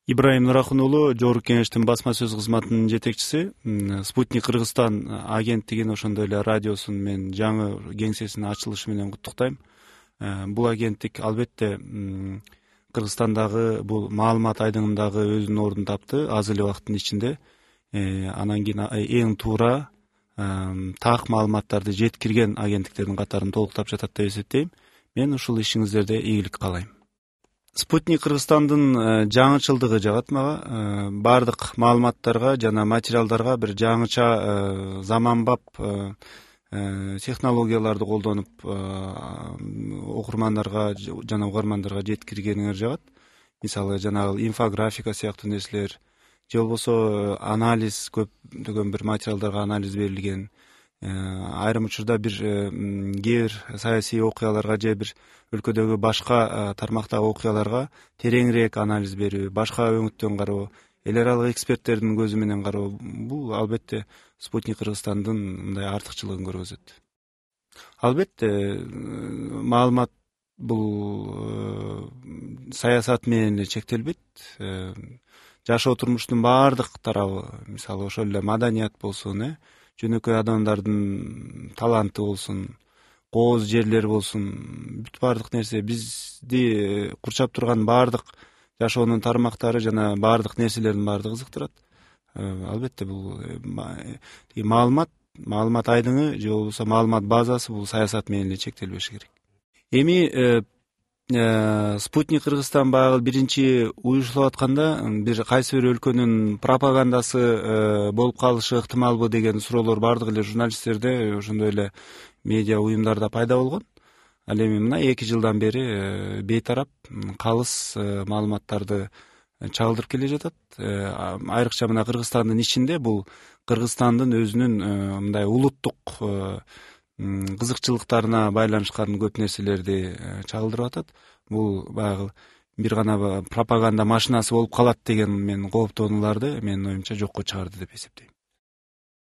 Ибраим Нурахун уулу, Жогорку Кеңештин басма сөз кызматынын жетекчиси. Спутник Кыргызстан агенттигин, ошондой эле радиосун мен жаңы кеңсесинин ачылышы менен куттуктайм. Бул агенттик албетте Кыргызстандагы бул маалымат айдыңындагы өзүнүн ордун тапты аз эле убакыттын ичинде. Анан кийин эң туура так маалыматтарды жеткирген агенттиктердин катарын толуктап жатат деп эсептейм. Мен ушул ишиңиздерде ийгилик каалайм. Спутник Кыргызстандын жаңычылдыгы жагат мага. Бардык маалыматтарга жана материалдарга бир жаңыча заманбап технологияларды колдонуп окурмандарга жана угармандарга жеткиргениңер жагат. Мисалы жанагы инфографика сыяктуу нерселер, же болбосо анализ, көптөгөн бир материалдарга анализ берилген. Айрым учурда кээ бир саясий окуяларга же бир өлкөдөгү башка тармактагы окуяларга тереңирээк анализ берүү, башка өңүттөн кароо, эл аралык эксперттердин көзү менен кароо, бул албетте Спутник Кыргызстандын мындай артыкчылыгын көргөзөт. Албетте маалымат бул саясат менен эле чектелбейт. Жашоо турмуштун баардык тарабы, мисалы ошол эле маданият болсун, жөнөкөй адамдардын таланты болсун, кооз жерлер болсун, бүт баардык нерсе бизди курчап турган баардык жашоонун тармактары жана баардык нерселердин баардыгы кызыктырат. Албетте бул маалымат айдыңы же болбосо маалымат базасы бул саясат менен эле чектелбеши керек. Эми Спутник Кыргызстан баягы биринчи уюштулуп атканда бир кайсы бир өлкөнүн пропагандасы болуп калышы ыктымалбы деген суроолор бардык эле журналисттерде, ошондой эле медиа уюмдарда пайда болгон. Ал эми мына 2 жылдан бери бейтарап калыс маалыматтарды чагылдырып келе жатат. Айрыкча мына Кыргызстандын ичинде бул Кыргызстандын өзүнүн мындай улуттук кызыкчылыктарына байланышкан көп нерселерди чагылдырып атат. Бул баягы бир гана пропаганда машинасы болуп калат деген мен кооптонууларды менин оюмча жокко чыгарды деп эсептейм.